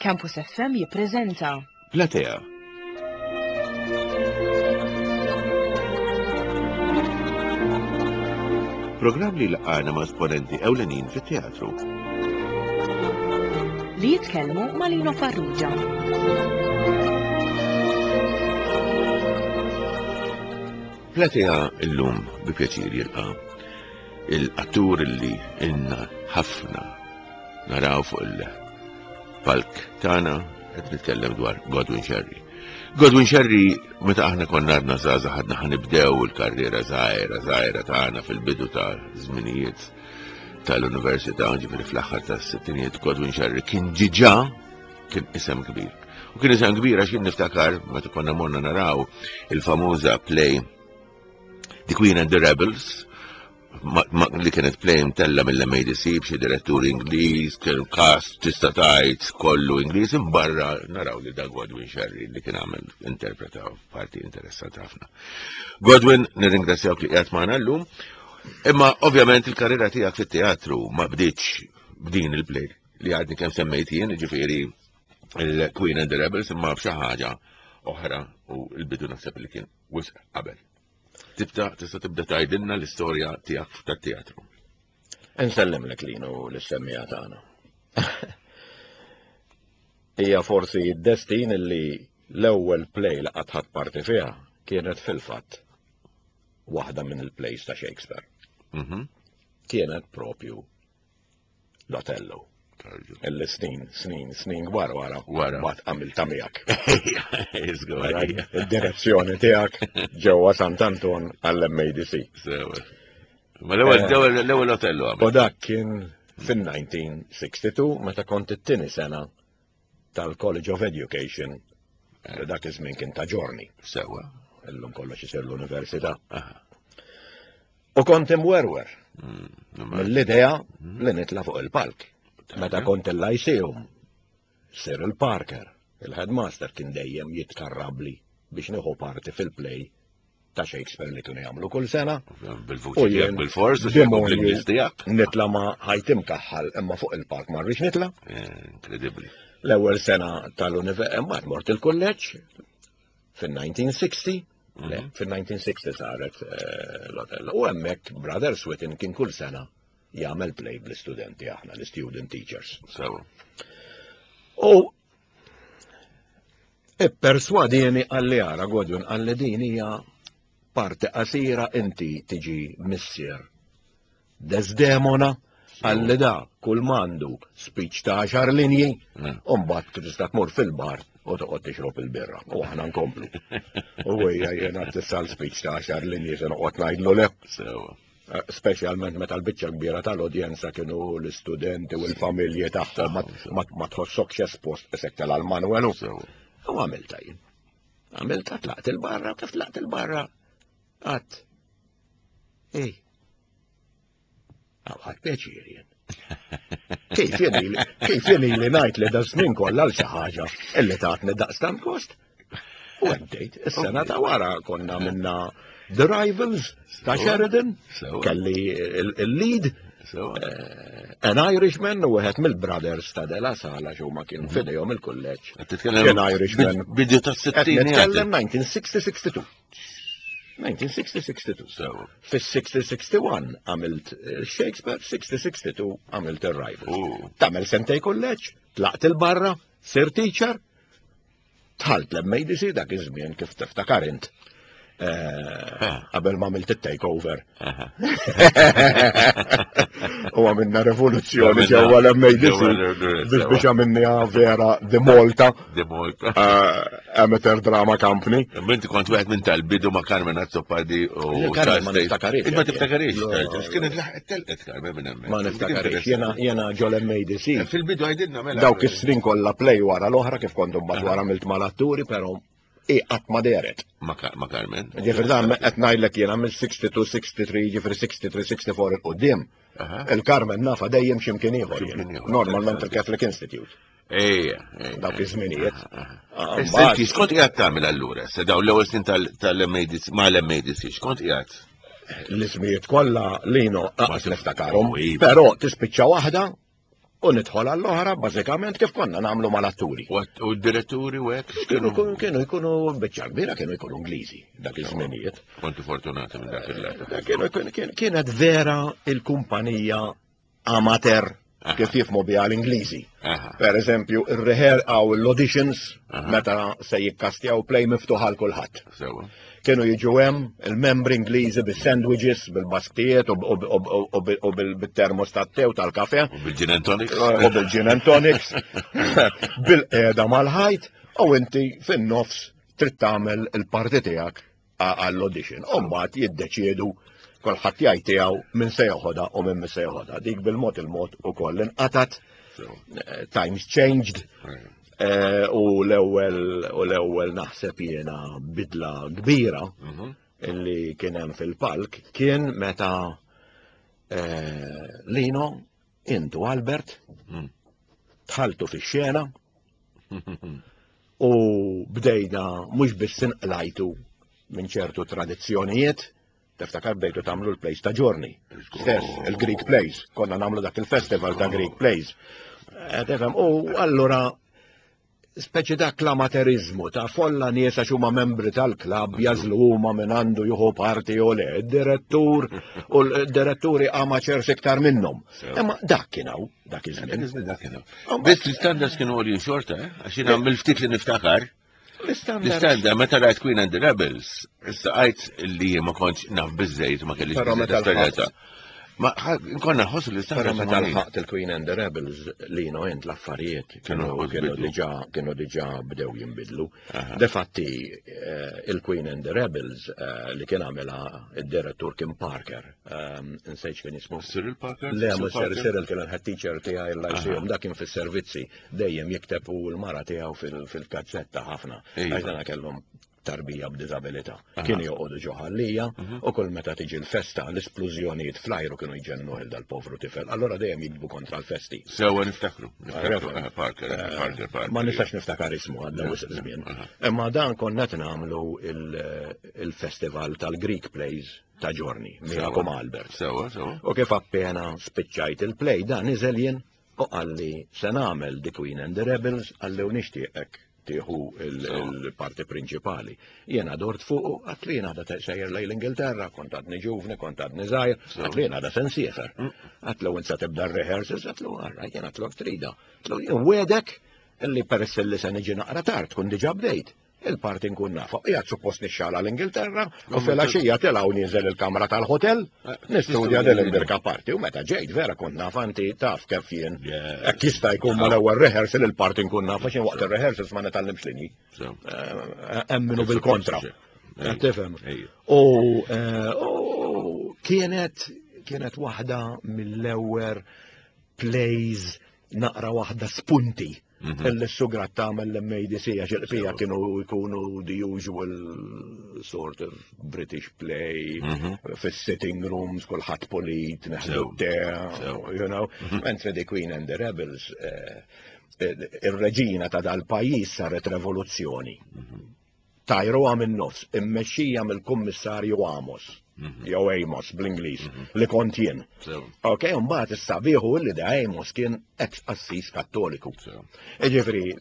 Campus FM jippreżenta Platea. Programm li laqana ma' esponenti ewlenin fit-teatru. Li jitkellmu ma' Lino Farrugia. Platea illum bi pjaċir jilqa' il-attur li inna ħafna naraw fuq il-palk tagħna qed nitkellem dwar Godwin Sherry. Godwin Sherry meta aħna konna għadna żgħażagħ għadna ħanibdew il-karriera żgħira żgħira tagħna fil-bidu ta' żminijiet tal-università, ġifieri fl-aħħar tas-sittinijiet Godwin Sherry kien ġiġa kien isem kbir. U kien isem kbir għax jien niftakar meta konna morna naraw il-famuża play The Queen and the Rebels li kienet play mtella mill-MADC b'xi direttur Ingliż, kien cast tista' tgħid kollu Ingliż, imbarra naraw li da Godwin Sherry li kien għamel interpreta parti interessanti ħafna. Godwin, nirringrazzjawk li qiegħed magħna llum, imma ovvjament il-karriera tiegħek fit-teatru ma bdietx b'din il-play li għadni kemm semmejt jien, ġifieri il-Queen and the Rebels, imma b'xi ħaġa oħra u l-bidu naħseb li kien wisq qabel. Tibda tista' tibda tgħidilna l-istorja tiegħek tat-teatru. Insellimlek linu l-semmija tagħna. Hija forsi d-destin li l-ewwel play li qatt ħadd parti fiha kienet fil-fatt waħda minn il-plays ta' Shakespeare. Mhm. Kienet propju l-Otello. Illi snin, snin, snin kbar wara. Wara. Bat għamilta miegħek. Id-direzzjoni tiegħek ġewwa Sant'Anton għall-MADC. Ma l-ewwel eh, l-ewwel Otello U dak kien fin-1962 meta kont it-tieni sena tal-College of Education eh. dak iż-żmien kien ta' ġorni. Sewa. Illum kollox isir l-università. U kont imwerwer mm, mill-idea mm. li nitla' fuq il-palk. Meta kont il-Lyceum, Cyril Parker, il-headmaster kien dejjem jitkarrabli biex nieħu parti fil-play ta' Shakespeare li kienu jagħmlu kull sena. Bil-vuċi tiegħek bil-fors, bil-Ingliż tiegħek. Nitla ma ħajtim kaħħal imma fuq il-park ma rridx nitla. Eh, inkredibbli. L-ewwel sena tal-università imbagħad mort il-kulleġġ fin-1960, mhm. fin-1960 saret eh, l-hotel. U hemmhekk Brother Switten kien kull sena jagħmel play bl-istudenti aħna, l-student teachers. Sewa. U ipperswadini għalli għara Godwin għalli din hija parti qasira inti tiġi missier Desdemona għalli da kull mandu speech ta' għaxar linji, mm. u mbagħad tista' tmur fil-bar u toqgħod tixrob il-birra u aħna nkomplu. U hija jiena tista' speech ta' għaxar linji se noqgħod ngħidlu le. Sewa. Eh, speċjalment meta l-biċċa kbira tal-udjenza kienu l-istudenti u l-familji tagħhom ma tħossokx espost isek tal-Manuelu. U għamilta jien. Għamilta tlaqt il-barra, kif tlaqt il-barra? Għat. Ej, Għad pjaċir jien. Kif jien kif jien li ngħid li da snin kollha għal xi ħaġa illi tatni daqstant kost? U għaddejt, is-sena ta' wara konna minna The Rivals ta' Sheridan, kelli il-lead, eh, an Irishman u wieħed mill-brothers ta' Dela Sala xi huma kienu mhm. fidejhom il-kulleġġ. Kien Irishman. Bidu ta' 60. Nitkellem 1960-62. 1960-62. Sewa. Fis-60-61 għamilt eh, Shakespeare, 60-62 għamilt il-Rivals. Oh. Tamel sentej kulleġġ, tlaqt il-barra, sir teacher, tħalt l-MADC dak iż-żmien kif tiftakar int. Eh, eh. Qabel ma għamilt it-takeover. U għamilna revoluzzjoni ġewwa l-MADC biex biex għamilna vera The Malta. The Malta. Eh, Amateur Drama Company. Inti kont wieħed minn tal-bidu ma' Carmen Azzopardi u Carmen ma niftakarix. Ma tiftakarix. Kienet laħqet telqet Carmen minn hemmhekk. Ma niftakarix. Jena jena ġol MADC. Eh, fil-bidu għajdilna mela. Dawk is-snin kollha play wara l-oħra kif kont mbagħad wara għamilt mal-atturi, però i qatt ma dehret. Ma Carmen. Ġifieri dan qed ngħidlek jiena mill-62, 63, ġifieri 63, 64 il qudiem. Il-Carmen nafa dejjem x'imkien ieħor. Normalment il-Catholic Institute. Ejja, Dawk iż-żminijiet. Senti, x'kont qiegħed tagħmel allura? Se dawn l-ewwel snin tal-MADC ma l-MADC, x'kont qiegħed? L-ismijiet kollha lino qas niftakarhom, Iva. però tispiċċa waħda. U nidħol għall-oħra bażikament kif konna nagħmlu mal-atturi. U d-diretturi u hekk kienu kienu jkunu biċċa kbira kienu jkunu Ingliżi dak iż-żminijiet. Kontu fortunati minn dak il-lat. Kienu kienet vera il-kumpanija amateur kif jifmu biha l-Ingliżi. Per eżempju, ir-reher għaw l-auditions meta se jikkastjaw play miftuħ għal kulħadd. Kienu jiġu hemm il-membri Ingliżi bis-sandwiches, bil-basktijiet u bil-termos tat-tew tal-kafe. U bil-gin and tonics. U bil-gin and tonics. Bil-qeda mal-ħajt u inti fin-nofs trid tagħmel il-parti tiegħek għall-audition. U mbagħad jiddeċiedu kulħadd jgħid tiegħu min se joħodha u min se joħodha. Dik bil-mod il-mod ukoll inqatat. Eh, times changed. Eh, u l-ewwel u l-ewwel naħseb jiena bidla kbira mhm. illi kien hemm fil-palk kien meta eh, Lino intu Albert mm. tħaltu fix-xena u bdejna mhux biss inqlajtu minn ċertu tradizzjonijiet, Tiftakar bdejtu tagħmlu l-plays ta' ġorni. Stess, il-Greek plays, konna nagħmlu dak il-festival ta' Greek plays. Eh, tifhem, u allura speċi dak l-amaterizmu ta' folla nies għax huma membri tal-klabb jażlu huma minn għandu juhu parti u le, direttur u l-diretturi amateurs iktar minnhom. Imma dak kien hawn, dak iż-żmien. Dak kien hawn. Biss l-istandards kienu għoljin xorta, eh? għax jiena mill-ftit li niftakar. L-istandard, meta rajt Queen and the Rebels, issa għajt li ma kontx naf bizzejt, ma kellix bizzejt esperjenza. Ma konna nħossu li Però meta lħaqt il-Queen and the Rebels li no int l-affarijiet kienu kienu diġà kienu diġà bdew jinbidlu. Defatti eh, il-Queen and the Rebels eh, li kien għamela id-direttur Kim Parker, eh, nsejx kien jismu. Cyril Parker? Le, mhux Cyril kien il-head teacher tiegħi l-lyceum, dak kien fis-servizzi dejjem jikteb u l-mara tiegħu fil-kazzetta ħafna. Għax dana kellhom tarbija b'diżabilità. Kienu joqogħdu ġo ħallija mhm. u kull meta tiġi l-festa l-isplużjonijiet fl-ajru kienu jġennu il dal-povru tifel. Allora dejjem jiktbu kontra l-festi. Sewa niftakru. Eh, Parker, eh, Parker, Parker. Ma nistax niftakar ismu għadda wisq żmien. Imma dan konna qed nagħmlu il-festival tal-Greek Plays ta' ġorni, miegħekom Albert. Sewa, sewa. U kif appena spiċċajt il-play dan niżel jien U qalli se nagħmel The Queen and the Rebels qalli u nixtieqek tieħu il-parti prinċipali. Jiena dort fuqu għat li jiena għada sejjer lejn l-Ingilterra, kont għadni ġuvni, kont għadni żgħir, għat li jiena għada se nsiefer. Mm. Għat li insa tibda r-rehearsals, għat li għarra, jiena għat trida. Għat li wedek illi peress li se niġi naqra tard, kun diġà bdejt. Il-parti nkun nafa. Qiegħed suppost nixxala l-Ingilterra u filgħaxija telgħu ninżel il-kamra tal-hotel, eh, nistudja din il-birka parti u meta ġejt vera kont naf anti taf kif jien. Hekk jista' jkun mal-ewwel rehearsal il-parti nkun nafa xi waqt ir-rehearsals ma nitgħallimx linji. Eh, hemm minnu bil-kontra. Tifhem. U eh, kienet kienet waħda mill-ewwel plays naqra waħda spunti mhm. illi s-sugrat tagħmel l-MADC għax il-qpija kienu jkunu the usual sort of British play mhm. fis-sitting rooms kulħadd polit neħdu te, you know. Mhm. Mentre The Queen and the Rebels eh, eh, ir-reġina ta' dal-pajjiż saret revoluzzjoni. Tajruha min-nofs, immexxija mill-Kummissarju Amos, mhm. jew Amos bl-Ingliż, mhm. li kont jien. Ok, mbagħad is-sabiħu li da Amos kien ex qassis Kattoliku. Jiġifieri,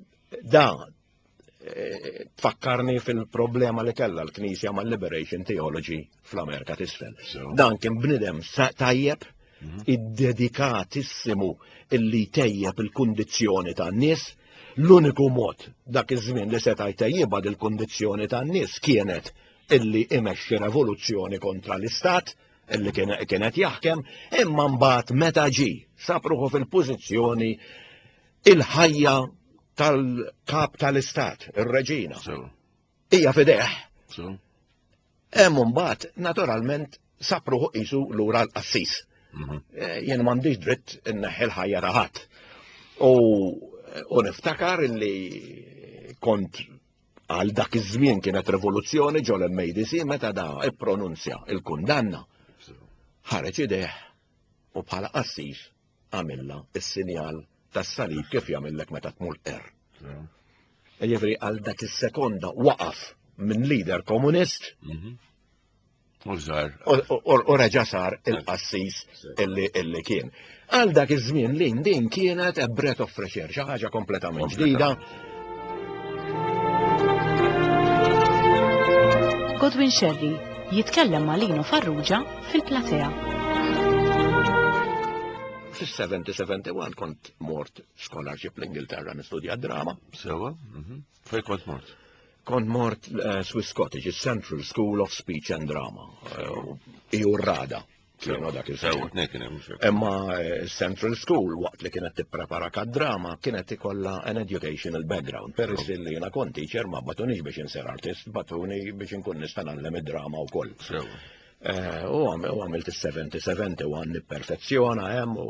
da eh, tfakkarni fil-problema li kellha l-Knisja mal-Liberation Theology fl-Amerika t'isfel. Dan kien bnidem tajjeb, mhm. iddedikatissimu illi tejjeb il-kundizzjoni tan-nies, L-uniku mod dak iż-żmien li seta' jtejjibha dil-kundizzjoni tan-nies kienet illi imexxi revoluzzjoni kontra l-istat illi kienet jaħkem, imma mbagħad meta ġie sab ruħu fil-pożizzjoni il-ħajja tal-kap tal-istat, ir-reġina. Hija fideh. Hemm mbagħad naturalment sab ruħu qisu lura l-qassis. Mhm. Eh, jien m'għandix dritt inneħħi l-ħajja ta' ħadd. U niftakar illi kont għal dak iż-żmien kienet rivoluzzjoni ġol MADC meta da ippronunzja il-kundanna. Ħareġ ideh u bħala qassis għamilla is-sinjal tas-salib kif jagħmillek meta tmur er. Jiġifieri għal dak is-sekonda waqaf minn leader komunist mhm. U reġa' sar il-qassis illi kien. Għal dak iż-żmien li din kienet a breath of fresh air, xi ħaġa kompletament ġdida. Godwin Sherry jitkellem ma' Lino Farrugia fil-platea. Fis-70-71 kont mort scholarship l-Ingilterra nistudja drama. Sewa, Fej kont mort? Kont mort eh, Swiss Cottage, Central School of Speech and Drama. Eh, Iju rada. Kienu dak il-żmien. Imma eh, Central School waqt li kienet tipprepara ka drama kienet ikollha an educational background. Peress li jiena kont teacher ma batunix biex insir artist, batuni biex inkun nista' ngħallem id-drama wkoll. U għamilt is-70-71 nipperfezzjona hemm u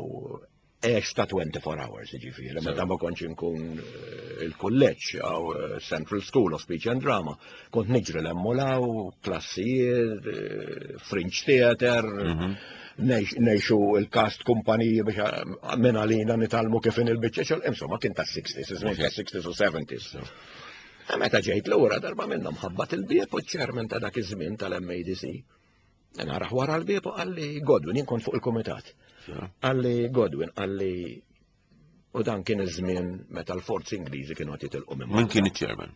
Għex ta' 24 hours, ġifieri, meta ma kontx inkun eh, il-kulleġġ għaw eh, Central School of Speech and Drama, kont niġri l-emmolaw, klassijiet, eh, Fringe Theater, mhm. nejxu il-cast kumpaniji biex minn għalina nitalmu kif in il-biċċa insomma kien ta' 60s, iż-żmien ta' 60s u 70s. Meta ġejt lura darba minnhom ħabbat il-bieb u ċ-chairman ta' dak iż-żmien tal-MADC. Naraħ wara l-bieb u qalli Godwin, jien kont fuq il-kumitat. Qalli Godwin, qalli u dan kien iż-żmien meta l-forzi Ingliżi kienu qed jitilqu minn. Min kien iċ-chairman?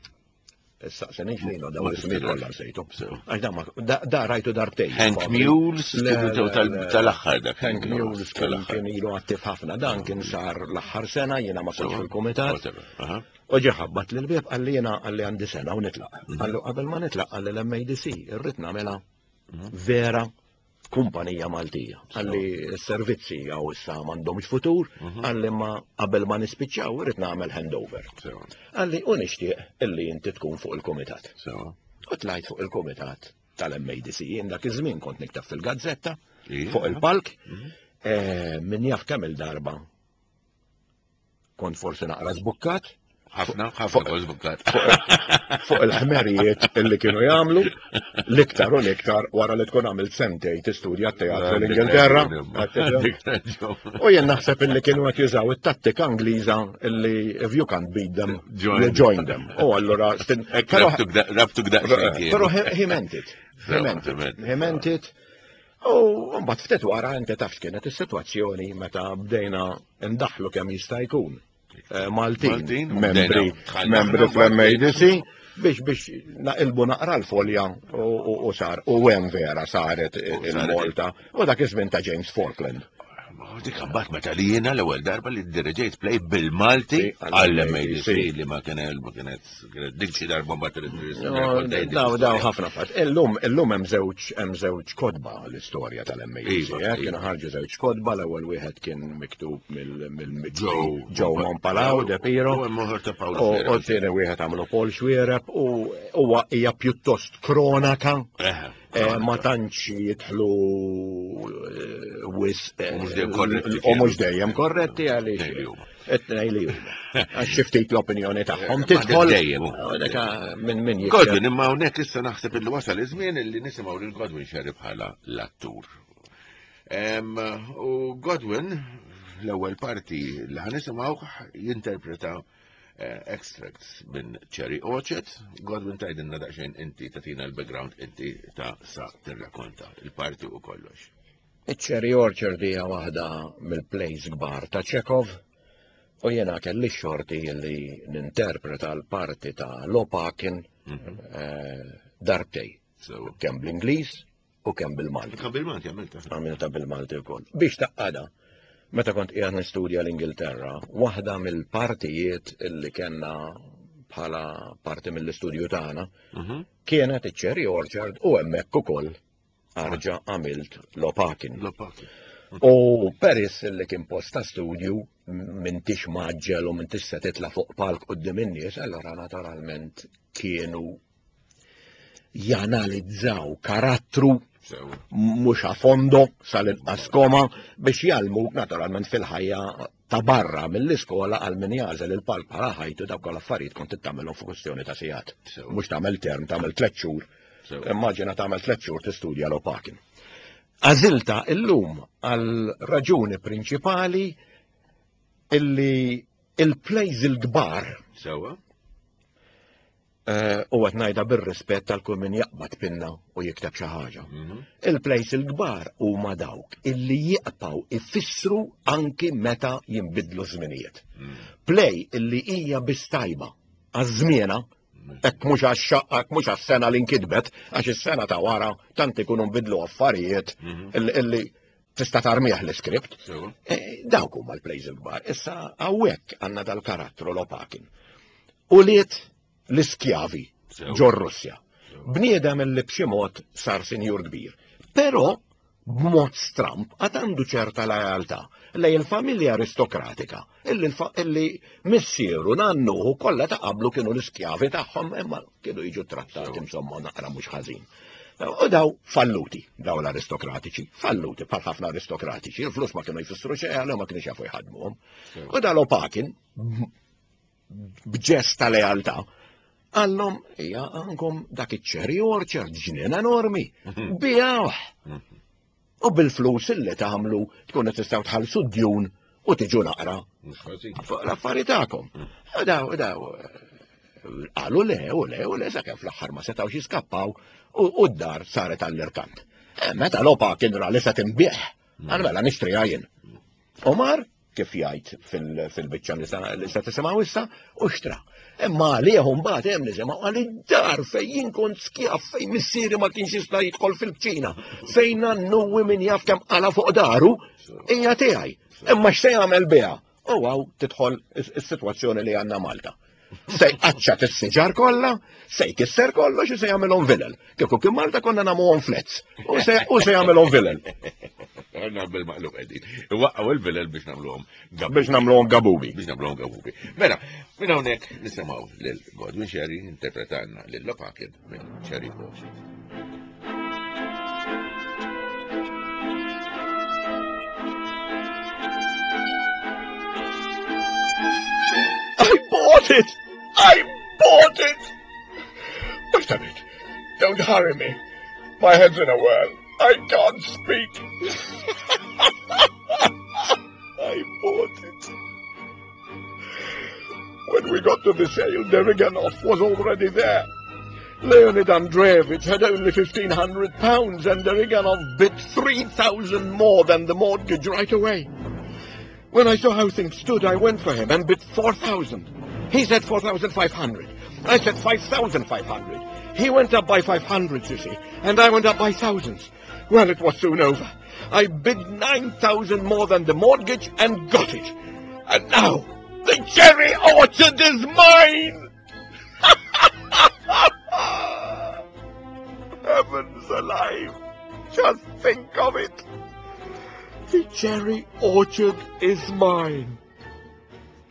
Saqsenix lejna daw l-ismijiet kollha nsejtu. Għax da rajtu darbtejn. Hank Mules tal-aħħar dak. Hank Mules kien ilu attiv ħafna. Dan kien sar l-aħħar sena jiena ma kontx fil-kumitat. U ġie ħabbat lil bieb qalli jiena qalli għandi sena u nitlaq. Mhm. Qallu qabel ma nitlaq qalli l-MADC irrid nagħmilha mhm. vera kumpanija Maltija. Għalli s-servizzi għaw issa m'għandhomx futur, mhm. għalli ma qabel ma nispiċċaw irrid nagħmel handover. Għalli u nixtieq illi inti tkun fuq il-kumitat. U tlajt fuq il-kumitat tal-MADC. Jien dak iż-żmien kont niktab fil-gazzetta fuq il-palk, mhm. eh, min jaf kemm il-darba Kont forsi naqra żbukkat. Ħafna, ħafna kont żbukkat. Fuq il-ħmerijiet illi kienu jagħmlu, l-iktar u l-iktar wara li tkun għamilt sentej tistudja t-teatru l-Ingilterra. U jien naħseb illi kienu qed jużaw it-tattika Ingliża illi if you can't beat them, you join them. U allura rabtu daqsxejn. Però he meant it. He meant it. He meant it. U mbagħad ftit wara inti taf x'kienet is-sitwazzjoni meta bdejna ndaħlu kemm jista' jkun eh, Maltin, membri membri fl-MADC biex biex naqilbu naqra l-folja u sar u hemm vera saret il-Malta u dak iż-żmien ta' James Falkland. Dik mbagħad meta li jiena l-ewwel darba li ddirġejt play bil-Malti għall-MADC li ma kien ma kienet dik xi darba mbagħad Daw daw ħafna fatt. Illum illum hemm żewġ hemm żewġ kotba l-istorja tal-MADC. Iva, eh, kienu iva. ħarġu żewġ kotba, l-ewwel wieħed kien miktub mill Joe Joe Mompalaw De Piro. U t-tieni wieħed għamlu Paul Xuereb u huwa hija pjuttost kronaka. Eh, ma tantx jidħlu eh, wis eh, u mhux dejjem korretti għaliex it-tnej li huma. Għax xi ftit l-opinjoni tagħhom tidħol dejjem. Minn min Godwin imma hawnhekk issa naħseb illi wasal iż-żmien illi nisimgħu lil Godwin Sherry bħala l-attur. U Godwin l-ewwel parti li ħanisimgħu jinterpreta Eh, extracts minn Cherry Orchard. Godwin tajdinna daqsxejn inti tatina l-background inti ta' sa tirrakonta il-parti u kollox. Cherry Orchard hija waħda mill-plays kbar ta' Chekhov u jena kelli xorti li ninterpreta l-parti ta' Lopakin mhm. eh, darbtej. Kemm bl-Ingliż u kemm bil-Malti. Kemm bil-Malti għamilta. Għamilta bil-Malti wkoll. Biex taqqada, meta kont qiegħed nistudja l-Ingilterra, waħda mill-partijiet illi kellna bħala parti mill-istudju tagħna mhm. kienet iċ-Cherry Orchard u hemmhekk ukoll arġa għamilt Lopakin. Lopakin. U peris li kien post ta' studju m'intix maġġel u m'intix se titla' fuq palk quddiem in-nies, allora naturalment kienu janalizzaw karattru mhux a fondo sal-inqas koma biex jgħallmuk naturalment fil-ħajja ta' barra mill-iskola għal min jagħżel il-palk bħala ħajtu dawk l-affarijiet kont tagħmelhom fuq kwestjoni ta' sigħat. Mhux tagħmel term, tagħmel tliet xhur. Immaġina tagħmel tliet xhur tistudja l-opakin. Għażilta illum għal raġuni prinċipali illi il-plays il-kbar Sewa. Eh, u qed ngħidha bir-rispett tal kull min jaqbad pinna u jikteb xi ħaġa. Mhm. Il-plejs il-kbar huma dawk illi jiqpaw ifissru anki meta jinbidlu żminijiet. Mhm. Plej illi hija biss tajba għaż-żmiena mhm. hekk mhux għax mhux għas-sena li nkitbet, għax is-sena ta' wara tant ikunu nbidlu affarijiet illi tista' tarmih l-iskript. Eh, dawk huma l-plejs il-kbar. Issa hawnhekk għandna dal-karattru Lopakin. Ulied l-iskjavi ġor Russja. Bniedem li b'xi mod sar sinjur kbir. Però b'mod stramp għad għandu ċerta lealtà lej il-familja aristokratika illi missieru nannuhu kollha ta' qablu kienu l-iskjavi tagħhom imma kienu jiġu trattati insomma naqra mhux ħażin. U daw falluti, daw l-aristokratiċi, falluti bħal ħafna aristokratiċi, il-flus ma kienu jfissru xejn għalhom ma kienu jafu jħadmuhom. U dal-Opakin b'ġest ta' lealtà, għallhom hija għandkom dak iċ-cherry orchard ġnien enormi, mhm. bijawh. Mhm. U bil-flus illi tagħmlu tkun qed tistgħu tħallsu d-djun u tiġu naqra fuq l-affari tagħkom. Mhm. Daw, daw, qalu le, u le, u le, sakemm fl-aħħar ma setgħux jiskappaw u d-dar saret għall-irkant. Eh, meta lopa kien ra li se tinbih, għal mela nixtriha jien. Omar kif jgħid fil-biċċa li se tisimgħu issa, u xtra. Imma għalih mbagħad hemm nisimgħu għal id-dar fejn jien kont skjaf fejn missieri ma kienx jista' jidħol fil-kċina, fejn nannuwi min jaf kemm qala fuq daru, hija tiegħi. Imma x'se jagħmel biha? U għaw tidħol is-sitwazzjoni li għandna Malta. Se jqaċċat is-siġar kollha, se jkisser kollox u se jagħmilhom vilel. Kieku kien Malta konna nagħmuhom flets u se jagħmilhom vilel. Għanna bil-maqlub qegħdin. Iwaqqgħu il-vilel biex nagħmluhom Biex nagħmluhom gabubi. Biex nagħmluhom gabubi. Mela, minn hawnhekk nisimgħu lil Godwin Sherry interpretanna lil Lopakin minn Cherry Orchard. I bought it! I bought it! Wait a minute. Don't hurry me. My head's in a whirl. I can't speak. I bought it. When we got to the sale, Derriganov was already there. Leonid Andreevich had only £1,500 and Deriganov bid 3,000 more than the mortgage right away. When I saw how things stood, I went for him and bid 4,000. He said 4,500. I said 5,500. He went up by 500, you see, and I went up by thousands. Well, it was soon over. I bid 9,000 more than the mortgage and got it. And now, the cherry orchard is mine! Heavens alive! Just think of it! The cherry orchard is mine.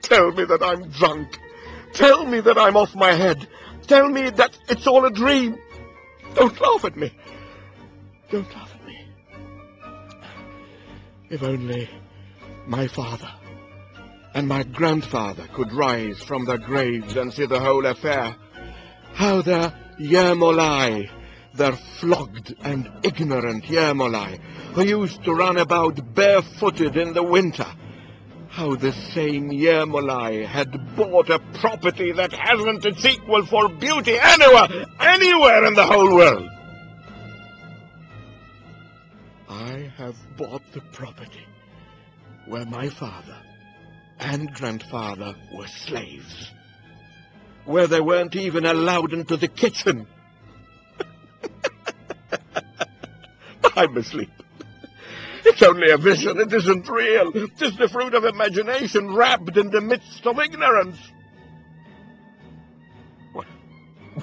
Tell me that I'm drunk. Tell me that I'm off my head. Tell me that it's all a dream. Don't laugh at me. Don't laugh at me. If only my father and my grandfather could rise from their graves and see the whole affair. How their Yermolai, their flogged and ignorant Yermolai, who used to run about barefooted in the winter, how the same Yermolai had bought a property that hasn't its equal for beauty anywhere, anywhere in the whole world. I have bought the property where my father and grandfather were slaves, where they weren't even allowed into the kitchen. I'm asleep. It's only a vision. It isn't real. It is the fruit of imagination wrapped in the midst of ignorance. What,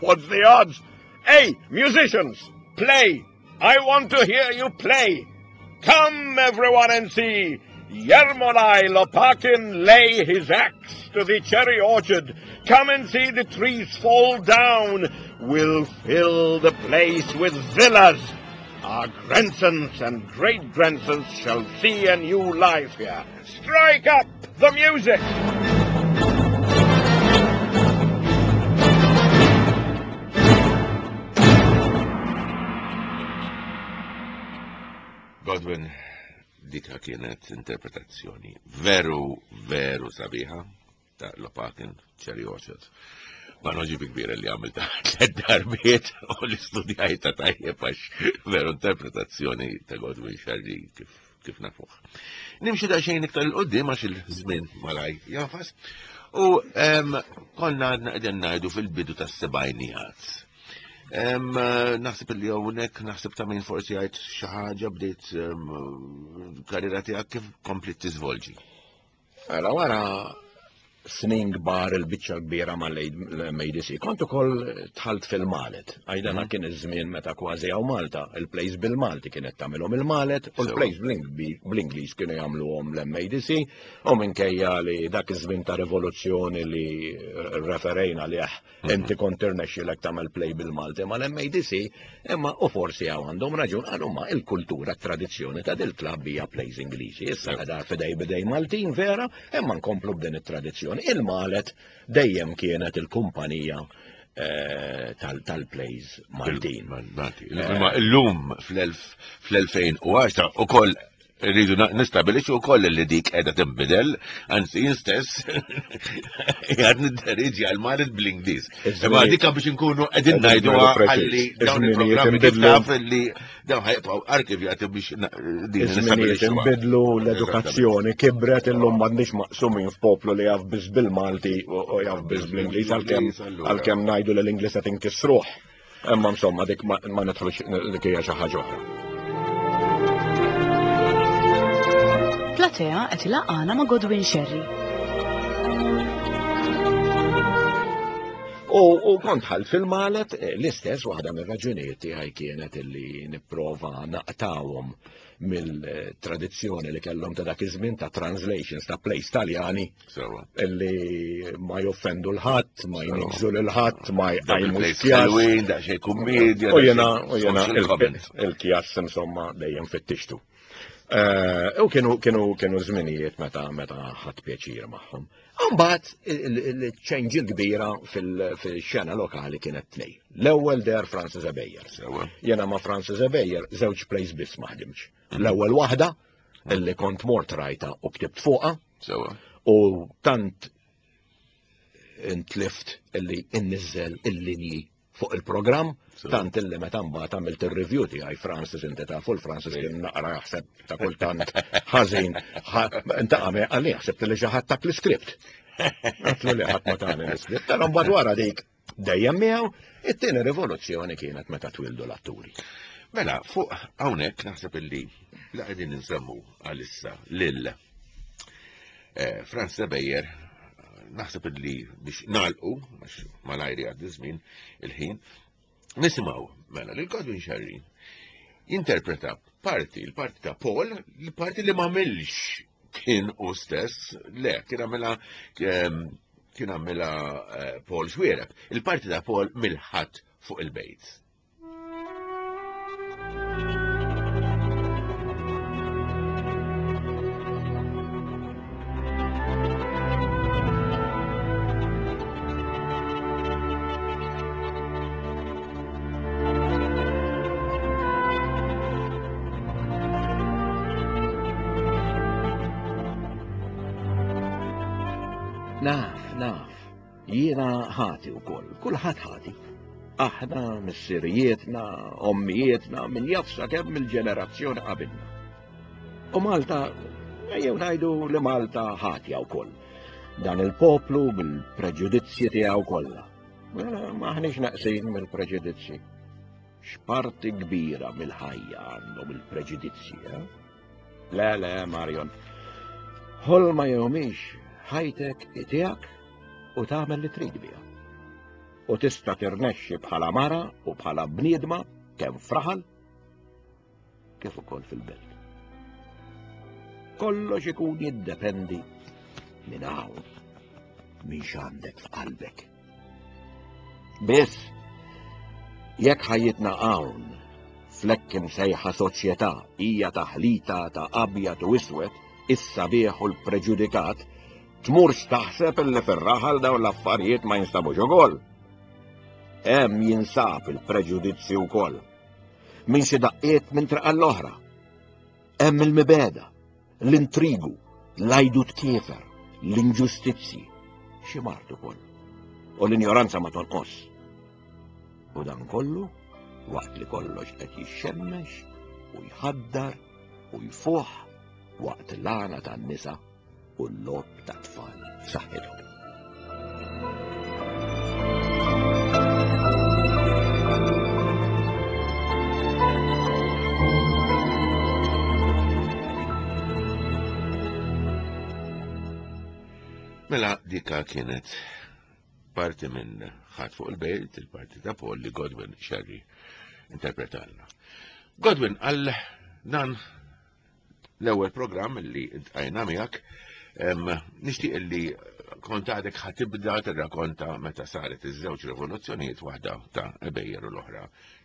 what's the odds? Hey, musicians, play! I want to hear you play. Come, everyone, and see Yermolai Lopakin lay his axe to the cherry orchard. Come and see the trees fall down. We'll fill the place with villas. Our grandsons and great-grandsons shall see a new life here. Strike up the music! Godwin, dika kienet interpretazzjoni veru, veru sabiħa ta' Lopakin Cherry Orchard. Ma noġi kbira li għamilta tliet darbiet u li studjajta tajjeb għax veru interpretazzjoni ta' Godwin Sherry kif kif nafuh. Nimxu daqsxejn iktar il-qoddim għax il-żmien malaj jafas. U konna għadna qegħdin ngħidu fil-bidu tas-sebgħinijat. Naħseb li hawnhekk naħseb ta' min forsi għajt xi ħaġa bdejt karriera tiegħek kif komplit tiżvolġi. Mela wara snin kbar il-biċċa kbira mal-ADC, kont ukoll tħalt fil-Malet. Għajdana mhm. kien iż-żmien meta kważi hawn Malta, il-plays bil-Malti kienet tagħmilhom il-Malet u l-plays bl-Ingliż kienu jagħmluhom l-MADC u minkejja li dak iż-żmien ta' rivoluzzjoni li referejna lih mhm. inti kont tirnexxilek tagħmel play bil-Malti mal-MADC, imma u forsi hawn għandhom raġun għal huma il-kultura tradizzjoni ta' dil-klabb hija plays Ingliżi. Issa qiegħda fidej bidej Maltin vera, imma nkomplu b'din it-tradizzjoni. Il-Malet dejjem kienet il-kumpanija eh, tal-plays Maltin. Imma illum fl-2010 u koll rridu nistabilixxu wkoll li dik qiegħda tinbidel, anzi jien stess qiegħed nidderieġi għal Malet bl-Ingliż. Imma dika biex inkunu qegħdin ngħidu għalli dawn il-programmi kif taf li dawn ħajbqgħu arkivjati biex din Iż-żminijiet inbidlu l-edukazzjoni kibret illum m'għandniex maqsumin f'poplu li jaf biss bil-Malti u jaf biss bl-Ingliż għalkemm għalkemm ngħidu li l-Ingliż qed inkissruh. Imma insomma dik ma nidħlux dik hija xi ħaġa oħra. Platea qed ilaqgħana ma' Godwin Sherry. U, u kont ħalt fil-malet eh, l-istess waħda mir-raġunijiet tiegħi kienet illi nipprova naqtawhom mill-tradizzjoni li kellhom ta' dak iż-żmien ta' translations ta' plays Taljani illi ma joffendu l-ħadd, ma jniġżu lil ħadd, ma jqajmu kjas. Daqsxejn kummedja. U jena, u jena il-kjas insomma dejjem fittixtu. Eh, u kienu kienu kienu żminijiet meta meta ħadd pjaċir magħhom. Mbagħad il-ċenġ il-kbira fil-xena lokali kienet tnej. L-ewwel der Francis Ebejer. Jena ma' Francis Ebejer żewġ plays biss ma ħdimx. Mhm. L-ewwel waħda illi kont mort rajta u ktibt fuqha. U tant intlift illi inniżżel il-linji fuq il-programm, tant illi meta mbagħad għamilt ir-review tiegħi Francis inti tafu l-Francis kien naqra jaħseb ta' kultant ħażin. Inta għamel għalli jaħseb li xi ħadd tak l-iskript. Għatlu li ħadd ma tani l-iskript, però mbagħad wara dik dejjem miegħu, it-tieni rivoluzzjoni kienet meta twildu l-atturi. Mela, fuq hawnhekk naħseb illi la qegħdin insemmu għalissa lil eh, Franz Beyer naħseb illi biex nalqu, għax malajri għaddi żmien il-ħin, nisimgħu mela lil Godwin Sherry jinterpreta parti, il-parti ta' Paul, il-parti li m'għamilx kien u stess, le, kien għamilha ehm, kien għamilha eh, Paul Xwiereb, il-parti ta' Paul mill-ħadd fuq il-bejt. Naf, naf, jiena ħati wkoll, kulħadd ħati. Aħna, missirijietna, ommijietna, min jaf sakemm il-ġenerazzjoni qabilna. U Malta, ejjew ngħidu li Malta ħatja wkoll. Dan il-poplu bil-preġudizzji tiegħu kollha. Mela maħniex naqsin mill-preġudizzji. X'parti kbira mill-ħajja għandhom il-preġudizzji, eh? Le, le, Marion. Ħolma jew mhix, ħajtek tiegħek u tagħmel li trid biha. U tista' tirnexxi bħala mara u bħala bniedma kemm fraħal kif ukoll fil-belt. Kollox ikun jiddependi minn hawn, minn x'għandek f'qalbek. Biss, jekk ħajjitna hawn, flekk imsejħa soċjetà hija taħlita ta' abjad u iswed, is-sabiħ u l-preġudikat, tmurx taħseb illi fir-raħal dawn l-affarijiet ma jinstabux ukoll. Hemm jinsab il-preġudizzju wkoll. Minn xi daqqiet minn triq l-oħra. Hemm il-mibeda, l-intrigu, l-għajdut kiefer, l-inġustizzji, xi mard ukoll. U l-injoranza ma tonqos. U dan kollu waqt li kollox qed jixxemmex u jħaddar u jfuħ waqt l-għana tan-nisa u l-logħob tat-tfal f'saħħithom. Mela dika kienet parti minn ħadd fuq il-bejt, il-parti ta' Paul li Godwin Sherry interpretalna. Godwin, għal dan l-ewwel programm li ntqajna miegħek, nixtieq li kont għadek ħatibda tirrakonta meta saret iż-żewġ rivoluzzjonijiet waħda ta' Ebejjer u l-oħra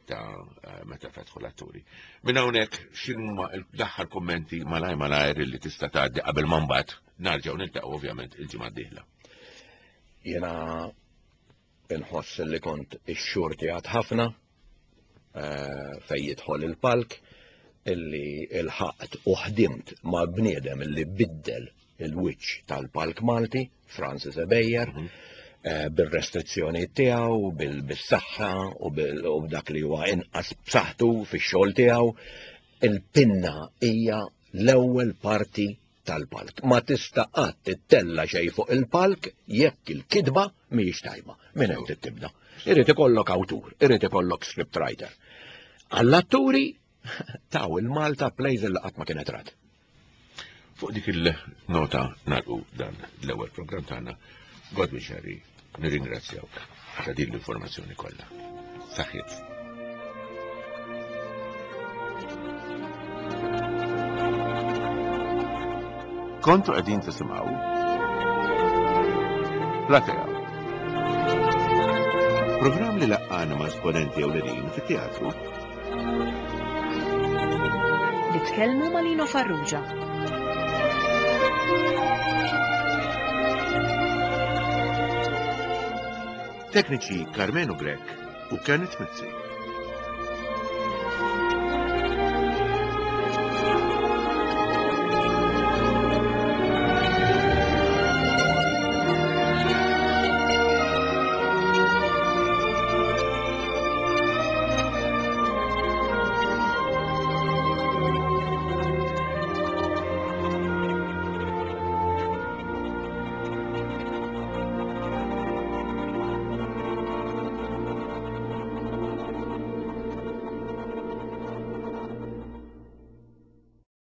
ta' eh, meta fetħu l-atturi. Minn hawnhekk x'inhuma l-aħħar kummenti malaj malajr li tista' tgħaddi qabel ma mbagħad narġgħu niltaqgħu ovvjament il-ġimgħa d-dieħla. Jiena inħoss li kont ix-xurti għad ħafna eh, fej jidħol il-palk illi il-ħaqt u ħdimt ma' bniedem illi biddel il-wiċċ tal-palk Malti, Francis Ebejer, mm -hmm. bil-restrizzjoni tiegħu, bil-saħħa u b'dak li huwa inqas b'saħħtu fix-xogħol tiegħu. Il-pinna hija l-ewwel parti tal-palk. Ma tista' qatt ittella xejn fuq il-palk jekk il-kitba mhijiex tajba. Minn hemm tibda. Irid ikollok awtur, irid ikollok scriptwriter. Għall-atturi taw il-Malta plays li qatt ma kienet rat. Fuq dik il-nota nagħlqu dan l-ewwel programm tagħna. Godwin Sherry, nirringrazzjawk ta' din l-informazzjoni kollha. Saħħiet. Kontu qegħdin tisimgħu Platea. Programm li laqqana ma' esponenti ewlenin fit-teatru. Li tkellmu ma' Lino Farrugia. Tekniċi Carmenu Grech u Kenneth Mizzi.